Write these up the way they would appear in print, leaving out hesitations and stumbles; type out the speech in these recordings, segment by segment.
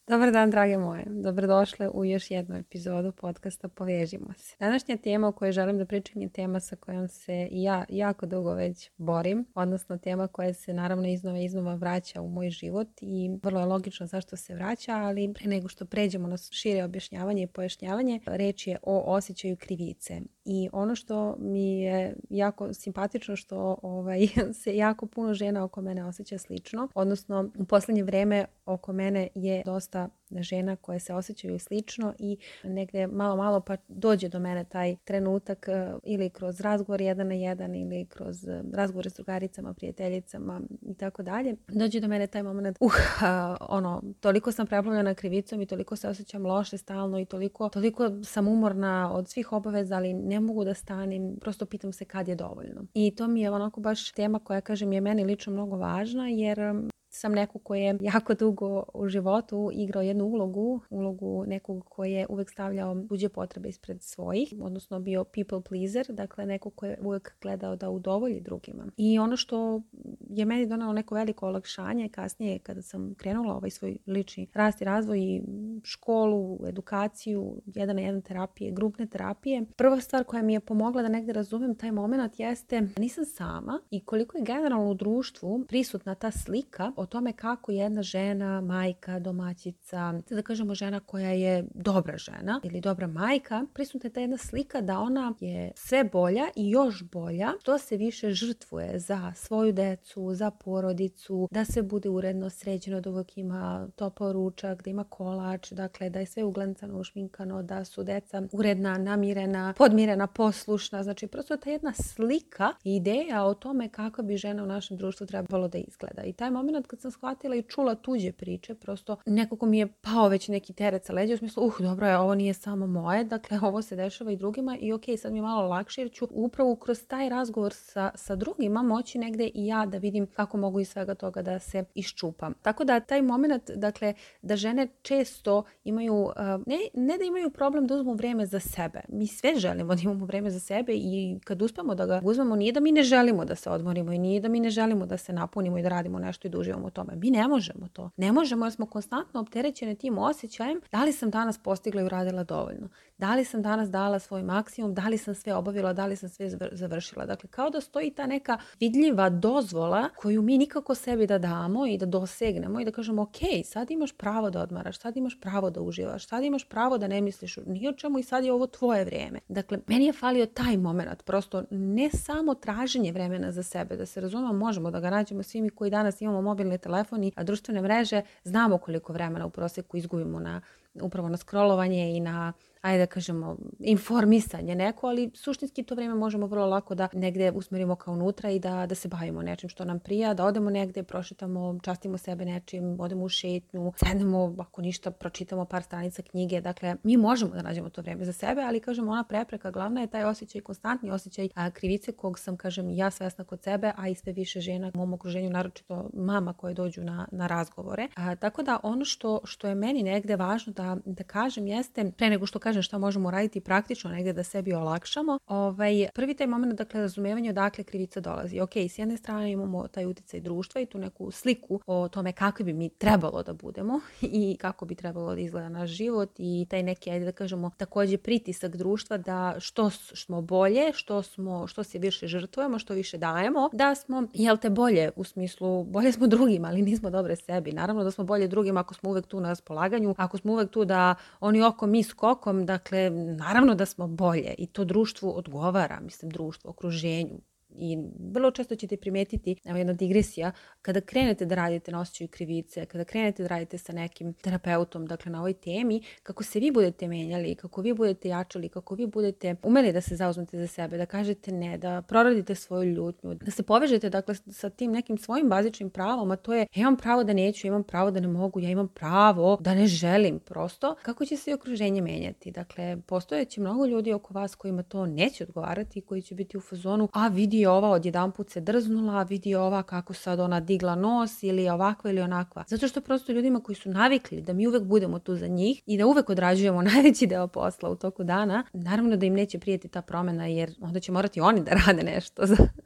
Dobar dan, drage moje. Dobrodošle u još jednu epizodu podcasta Povežimo se. Današnja tema o kojoj želim da pričam je tema sa kojom se i ja jako dugo već borim, odnosno tema koja se naravno iznova vraća u moj život i vrlo je logično zašto se vraća, ali pre nego što pređemo na šire objašnjavanje i pojašnjavanje, reč je o osjećaju krivice. I ono što mi je jako simpatično što se jako puno žena oko mene osjeća slično, odnosno u posljednje vreme oko mene je dosta žena koje se osjećaju slično i negdje malo pa dođe do mene taj trenutak ili kroz razgovor 1 na 1 ili kroz razgovore s drugaricama, prijateljicama i tako dalje. Dođe do mene taj moment, toliko sam preplavljena krivicom i toliko se osjećam loše stalno i toliko sam umorna od svih obaveza, ali ne mogu da stanem, prosto pitam se kad je dovoljno. I to mi je onako baš tema koja, kažem, je meni lično mnogo važna, jer sam neko koji je jako dugo u životu igrao jednu ulogu nekog koji je uvek stavljao tuđe potrebe ispred svojih, odnosno bio people pleaser, dakle neko koji je uvek gledao da udovolji drugima. I ono što je meni donalo neko veliko olakšanje kasnije kada sam krenula ovaj svoj lični rast i razvoj i školu, edukaciju, 1 na 1 terapije, grupne terapije, prva stvar koja mi je pomogla da negde razumem taj moment jeste da nisam sama i koliko je generalno u društvu prisutna ta slika o tome kako jedna žena, majka, domaćica, da kažemo žena koja je dobra žena ili dobra majka, prisutna je ta jedna slika da ona je sve bolja i još bolja, što se više žrtvuje za svoju decu, za porodicu, da sve bude uredno sređeno, da uvijek ima topao ručak, da ima kolač, dakle da je sve uglancano, ušminkano, da su deca uredna, namirena, podmirena, poslušna. Znači prosto ta jedna slika i ideja o tome kako bi žena u našem društvu trebalo da izgleda. I taj moment kad sam shvatila i čula tuđe priče, prosto nekako mi je pao već neki teret sa leđa u smislu, dobro je, ovo nije samo moje, dakle ovo se dešava i drugima i ok, sad mi je malo lakše jer ću upravo kroz taj razgovor sa drugima moći negde i ja da vidim kako mogu iz svega toga da se iščupam. Tako da taj moment, dakle, da žene često imaju, ne da imaju problem da uzmu vreme za sebe. Mi sve želimo da imamo vreme za sebe i kad uspemo da ga uzmemo, nije da mi ne želimo da se odmorimo i nije da mi ne želimo da se napunimo i da radimo nešto i da uživamo u tome. Mi ne možemo to. Ne možemo jer smo konstantno opterećene tim osjećajem da li sam danas postigla i uradila dovoljno. Da li sam danas dala svoj maksimum, da li sam sve obavila, da li sam sve završila. Dakle, kao da stoji ta neka vidljiva dozvola koju mi nikako sebi da damo i da dosegnemo i da kažemo ok, sad imaš pravo da odmaraš, sad imaš pravo da uživaš, sad imaš pravo da ne misliš ni o čemu i sad je ovo tvoje vrijeme. Dakle, meni je falio taj moment, prosto ne samo traženje vremena za sebe, da se razumemo, možemo da ga nađemo svi mi koji danas imamo mobilni telefon, a društvene mreže, znamo koliko vremena u prosjeku izgubimo upravo na scrollovanje i na, ajde da kažemo, informisanje neko, ali suštinski to vrijeme možemo vrlo lako da negdje usmerimo kao unutra i da se bavimo nečim što nam prija, da odemo negdje, prošetamo, častimo sebe nečim, odemo u šetnju, sednemo, ako ništa, pročitamo par stranica knjige. Dakle, mi možemo da nađemo to vrijeme za sebe, ali kažemo, ona prepreka glavna je taj osjećaj, konstantni osjećaj krivice kog sam, kažem, ja svesna kod sebe, a i sve više žena u mom okruženju, naročito mama koje dođu na razgovore. Tako da ono što je meni negdje važno da kažem jeste, pre nego što kažem šta možemo raditi praktično negdje da sebi olakšamo, prvi taj moment, dakle, razumevanje odakle krivica dolazi. Ok, s jedne strane imamo taj utjecaj društva i tu neku sliku o tome kako bi mi trebalo da budemo i kako bi trebalo da izgleda naš život i taj neki, ajde da kažemo, također pritisak društva da što smo bolje, što se više žrtvujemo, što više dajemo, da smo, bolje u smislu, bolje smo drugima, ali nismo dobre sebi. Naravno da smo bolje drugima ako smo uvek tu na raspolaganju, ako smo uvek tu da oni okom, mi skokom, dakle, naravno da smo bolje i to društvu odgovara, društvu, okruženju. I vrlo često ćete primetiti, evo jedna digresija, kada krenete da radite na osjećaju krivice, kada krenete da radite sa nekim terapeutom, dakle na ovoj temi, kako se vi budete menjali, kako vi budete jačali, kako vi budete umeli da se zauzmete za sebe, da kažete ne, da proradite svoju ljutnju, da se povežete, dakle, sa tim nekim svojim bazičnim pravom, a to je ja imam pravo da neću, ja imam pravo da ne mogu, ja imam pravo da ne želim, prosto, kako će se i okruženje menjati. Dakle, postojeće mnogo ljudi oko vas kojima to neće odgovarati, koji će biti u fazonu, a vidi ova odjedanput se drznula, vidi ova kako sad ona digla nos ili ovakva ili onakva. Zato što prosto ljudima koji su navikli da mi uvek budemo tu za njih i da uvek odrađujemo najveći deo posla u toku dana, naravno da im neće prijeti ta promjena jer onda će morati oni da rade nešto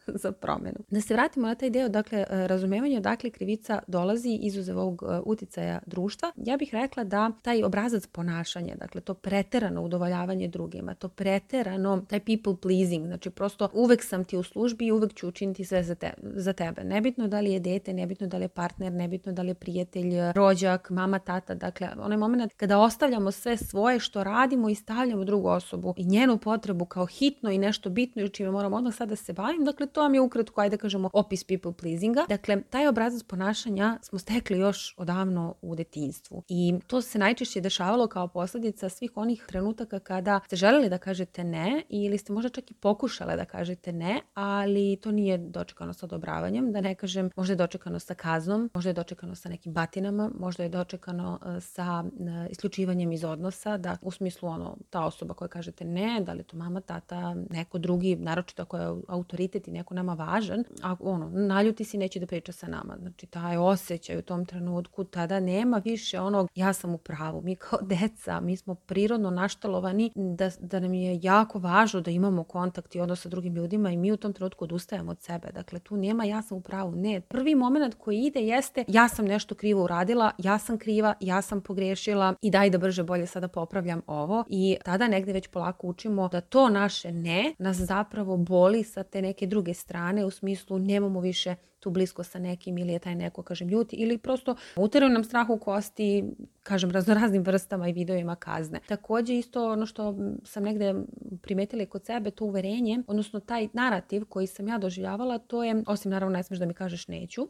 za promenu. Da se vratimo na taj deo, dakle, razumevanje odakle krivica dolazi izuzev ovog uticaja društva. Ja bih rekla da taj obrazac ponašanja, dakle to preterano udovoljavanje drugima, to preterano, taj people pleasing, znači prosto uvek sam ti u službi i uvek ću učiniti sve za tebe. Nebitno da li je dete, nebitno da li je partner, nebitno da li je prijatelj, rođak, mama, tata, dakle onaj moment kada ostavljamo sve svoje što radimo i stavljamo drugu osobu i njenu potrebu kao hitno i nešto bitno i čime moram odmah sad da se bavim, dakle to vam je ukratko, ajde kažemo, opis people pleasinga. Dakle, taj obrazac ponašanja smo stekli još odavno u detinjstvu i to se najčešće dešavalo kao posljedica svih onih trenutaka kada ste želeli da kažete ne ili ste možda čak i pokušale da kažete ne, ali to nije dočekano sa odobravanjem, da ne kažem, možda je dočekano sa kaznom, možda je dočekano sa nekim batinama, možda je dočekano sa isključivanjem iz odnosa, da u smislu ta osoba koja kažete ne, da li je to mama, tata, neko drugi, naročito ako je autoritet i neko nama važan, a naljuti si, neće da priča sa nama. Znači taj osjećaj u tom trenutku, tada nema više onog ja sam u pravu. Mi kao deca, mi smo prirodno naštalovani da nam je jako važno da imamo kontakt i odnos sa drugim ljudima i mi u tom trenutku odustajemo od sebe. Dakle, tu nema ja sam u pravu. Ne. Prvi moment koji ide jeste ja sam nešto krivo uradila, ja sam kriva, ja sam pogrešila i daj da brže bolje sada popravljam ovo. I tada negde već polako učimo da to naše ne nas zapravo boli sa te neke druge strane, u smislu nemamo više tu blisko sa nekim ili je taj neko, kažem, ljuti ili prosto uteraju nam strah u kosti, kažem, raznoraznim vrstama i videojima kazne. Također isto ono što sam negde primetila i kod sebe, to uverenje, odnosno taj narativ koji sam ja doživljavala, to je, osim naravno ne smiješ da mi kažeš neću,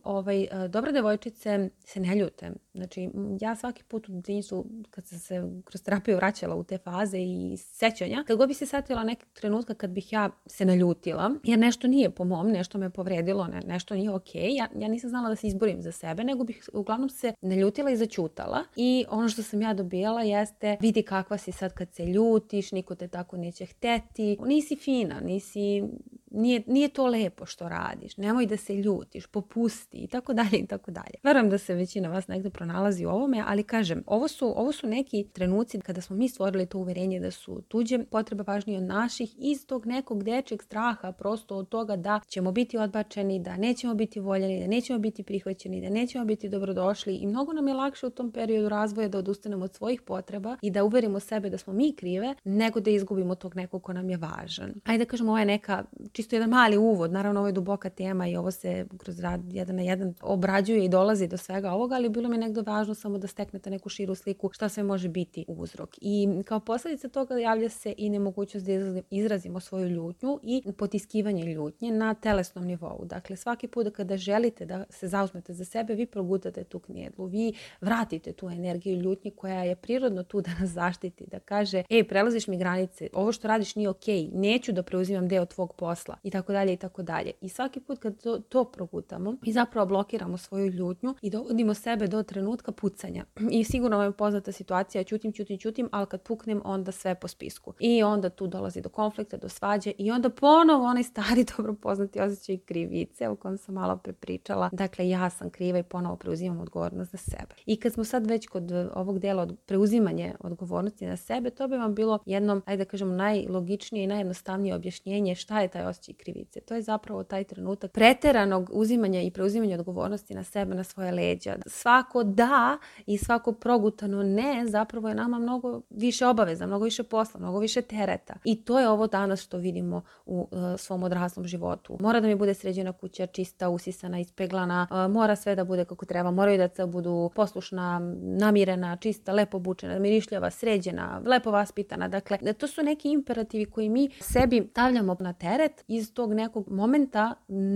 dobre devojčice se ne ljute. Znači, ja svaki put u detinjstvu, kad sam se kroz terapiju vraćala u te faze i sećanja, kad god bi se setila nekog trenutka kad bih ja se naljutila, jer nešto nije po mom, nešto me povredilo, nešto nije okej, ja nisam znala da se izborim za sebe, nego bih uglavnom se naljutila i zaćutala. I ono što sam ja dobijala jeste, vidi kakva si sad kad se ljutiš, niko te tako neće hteti, nisi fina, nije to lepo što radiš, nemoj da se ljutiš, popusti i tako dalje i tako dalje. Verujem da se većina vas negdje pronalazi u ovome, ali kažem, ovo su neki trenuci kada smo mi stvorili to uverenje da su tuđe potrebe važnije od naših iz tog nekog dečjeg straha, prosto od toga da ćemo biti odbačeni, da nećemo biti voljeni, da nećemo biti prihvaćeni, da nećemo biti dobrodošli i mnogo nam je lakše u tom periodu razvoja da odustanemo od svojih potreba i da uverimo sebe da smo mi krive, nego da izgubimo tog nekog ko nam je važan. Ajde da kažemo, ovo je neka čisto jedan mali uvod, naravno ovo je duboka tema i ovo se kroz rad jedan na jedan obrađuje i dolazi do svega ovoga, ali bilo mi je negdje važno samo da steknete neku širu sliku šta sve može biti uzrok. I kao posljedica toga javlja se i nemogućnost da izrazimo svoju ljutnju i potiskivanje ljutnje na telesnom nivou. Dakle, svaki put kada želite da se zauzmete za sebe, vi progutate tu knjedlu, vi vratite tu energiju ljutnje koja je prirodno tu da nas zaštiti, da kaže, prelaziš mi granice, ovo što radiš nije okej, neću da preuzimam deo tvog posla i tako dalje i tako dalje. I svaki put kad to progutamo, mi zapravo blokiramo svoju ljutnju i dovodimo sebe do trenutka pucanja. I sigurno vam je poznata situacija, ćutim, ali kad puknem, onda sve po spisku. I onda tu dolazi do konflikta, do svađe i onda ponovo onaj stari dobro poznati osjećaj krivice o kojem sam malo prepričala. Dakle, ja sam kriva i ponovo preuzimam odgovornost za sebe. I kad smo sad već kod ovog dela od preuzimanje odgovornosti na sebe, to bi vam bilo jedno, ajde da kažemo, najlogičnije i najjednostavnije objašnjenje šta je taj osjećaj krivice. To je zapravo taj trenutak preteranog uzimanja i preuzimanja odgovornosti na sebe, na svoje leđa. Svako da i svako progutano ne zapravo je nama mnogo više obaveza, mnogo više posla, mnogo više tereta. I to je ovo danas što vidimo u svom odraslom životu. Mora da mi bude sređena kuća, čista, usisana, ispeglana, mora sve da bude kako treba, moraju da budu poslušna, namirena, čista, lepo obučena, mirišljava, sređena, lepo vaspitana. Dakle, to su neki imperativi koji mi sebi stavljamo na teret iz tog nekog momenta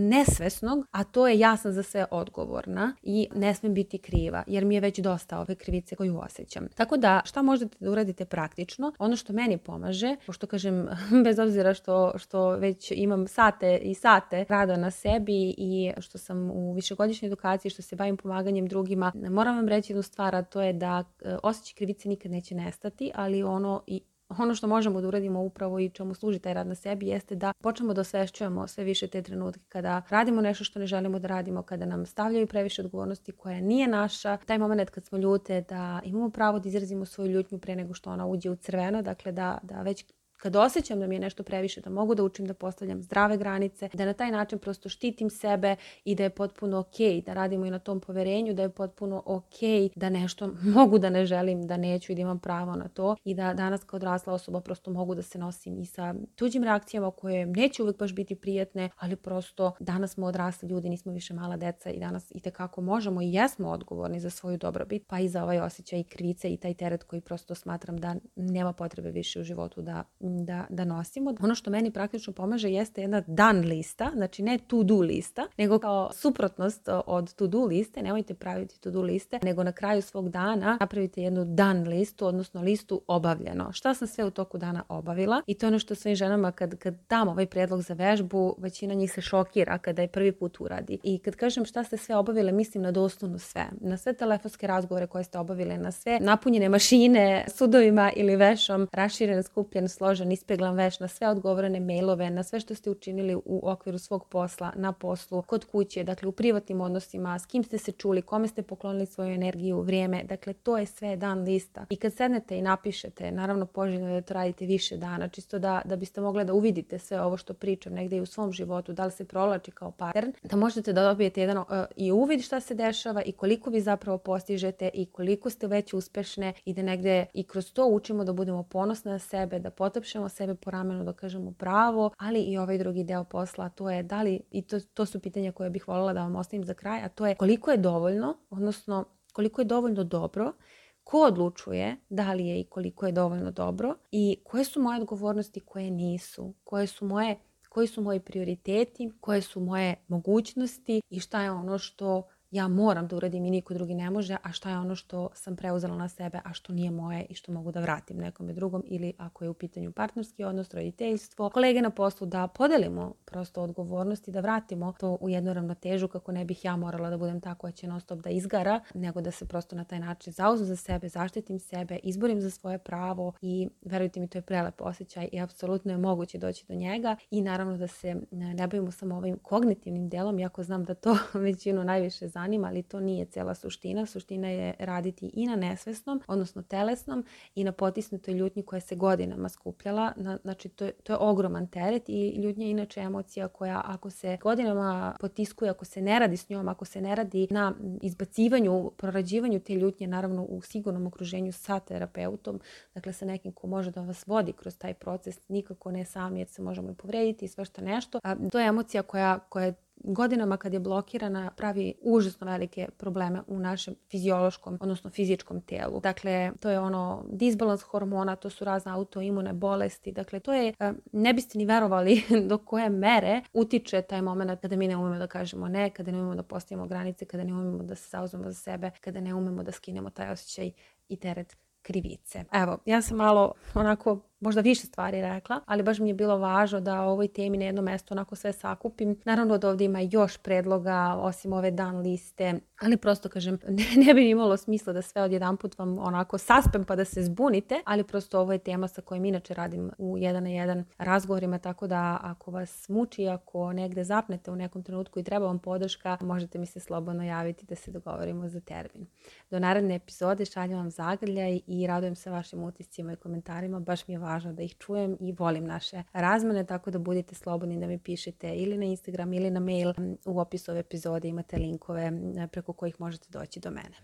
nesvesnog, a to je ja sam za sve odgovorna i ne smem biti kriva, jer mi je već dosta ove krivice koju osjećam. Tako da, šta možete da uradite praktično? Ono što meni pomaže, pošto kažem, bez obzira što već imam sate i sate rada na sebi i što sam u višegodišnjoj edukaciji, što se bavim pomaganjem drugima, moram vam reći jednu stvar, a to je da osjećaj krivice nikad neće nestati, ali ono što možemo da uradimo upravo i čemu služi taj rad na sebi jeste da počnemo da osvešćujemo sve više te trenutke kada radimo nešto što ne želimo da radimo, kada nam stavljaju previše odgovornosti koja nije naša. Taj moment kad smo ljute, da imamo pravo da izrazimo svoju ljutnju pre nego što ona uđe u crveno, dakle da već kad osjećam da mi je nešto previše, da mogu da učim da postavljam zdrave granice, da na taj način prosto štitim sebe i da je potpuno okej da radimo i na tom poverenju, da je potpuno okej da nešto mogu da ne želim, da neću i da imam pravo na to i da danas kao odrasla osoba prosto mogu da se nosim i sa tuđim reakcijama koje neće uvek baš biti prijatne, ali prosto danas smo odrasli ljudi, nismo više mala deca i danas itekako možemo i jesmo odgovorni za svoju dobrobit, pa i za ovaj osjećaj krivice i taj teret koji prosto smatram da nema potrebe više u životu da nosimo. Ono što meni praktično pomaže jeste jedna dan lista, znači ne to do lista, nego kao suprotnost od to do liste, nemojte praviti to do liste, nego na kraju svog dana napravite jednu dan listu, odnosno listu obavljeno. Šta sam sve u toku dana obavila i to je ono što svojim ženama kad dam ovaj prijedlog za vežbu, većina njih se šokira kada je prvi put uradi. I kad kažem šta ste sve obavile, mislim na doslovno sve. Na sve telefonske razgovore koje ste obavile, na sve napunjene mašine sudovima ili vešom, raširen, skupljen, složen, ispeglan veš, na sve odgovorene mailove, na sve što ste učinili u okviru svog posla, na poslu, kod kuće, dakle u privatnim odnosima, s kim ste se čuli, kome ste poklonili svoju energiju, vrijeme, dakle to je sve dan lista. I kad sednete i napišete, naravno poželjno je da to radite više dana, čisto da biste mogli da uvidite sve ovo što pričam negdje i u svom životu, da li se provlači kao pattern, da možete da dobijete jedan i uvid šta se dešava i koliko vi zapravo postižete i koliko ste već uspešne i da negdje i kroz to učimo da budemo ponosne na sebe, da potapšemo sebe po ramenu, da kažemo bravo, ali i ovaj drugi deo posla, to je da li, i to su pitanja koje bih voljela da vam ostavim za kraj, a to je koliko je dovoljno, odnosno koliko je dovoljno dobro, ko odlučuje da li je i koliko je dovoljno dobro i koje su moje odgovornosti, koje nisu, koji su moji prioriteti, koje su moje mogućnosti i šta je ono što ja moram da uradim i niko drugi ne može, a šta je ono što sam preuzela na sebe, a što nije moje i što mogu da vratim nekome drugom ili ako je u pitanju partnerski odnos, roditeljstvo, kolege na poslu, da podelimo prosto odgovornosti, da vratimo to u jednu ravnotežu kako ne bih ja morala da budem ta koja će non stop da izgara, nego da se prosto na taj način zauzmem za sebe, zaštitim sebe, izborim za svoje pravo i verujte mi, to je prelep osjećaj i apsolutno je moguće doći do njega i naravno da se ne bavimo samo ovim kognitivnim delom, iako znam da to većinu najviše zanima, ali to nije cela suština. Suština je raditi i na nesvesnom, odnosno telesnom i na potisnutoj ljutnji koja se godinama skupljala. Znači, to je ogroman teret i ljutnja je inače emocija koja ako se godinama potiskuje, ako se ne radi s njom, ako se ne radi na izbacivanju, prorađivanju te ljutnje, naravno u sigurnom okruženju sa terapeutom, dakle sa nekim ko može da vas vodi kroz taj proces, nikako ne sami jer se možemo i povrediti i svašta nešto. To je emocija koja godinama kad je blokirana pravi užasno velike probleme u našem fiziološkom, odnosno fizičkom telu. Dakle, to je ono disbalans hormona, to su razne autoimune bolesti. Dakle, to je, ne biste ni verovali do koje mere utiče taj moment kada mi ne umemo da kažemo ne, kada ne umemo da postavimo granice, kada ne umemo da se zauzmemo za sebe, kada ne umemo da skinemo taj osjećaj i teret krivice. Evo, ja sam malo onako možda više stvari rekla, ali baš mi je bilo važno da o ovoj temi na jedno mesto onako sve sakupim. Naravno da ovdje ima još predloga osim ove dan liste, ali prosto kažem, ne bi imalo smisla da sve odjedanput vam onako saspem pa da se zbunite, ali prosto ovo je tema sa kojom inače radim u 1 na 1 razgovorima, tako da ako vas muči, ako negde zapnete u nekom trenutku i treba vam podrška, možete mi se slobodno javiti da se dogovorimo za termin. Do naredne epizode šaljem vam zagrljaj i radujem se vašim utiscima i komentarima, baš mi je važno da ih čujem i volim naše razmene, tako da budite slobodni da mi pišete ili na Instagram ili na mail. U opisu ove epizode imate linkove preko kojih možete doći do mene.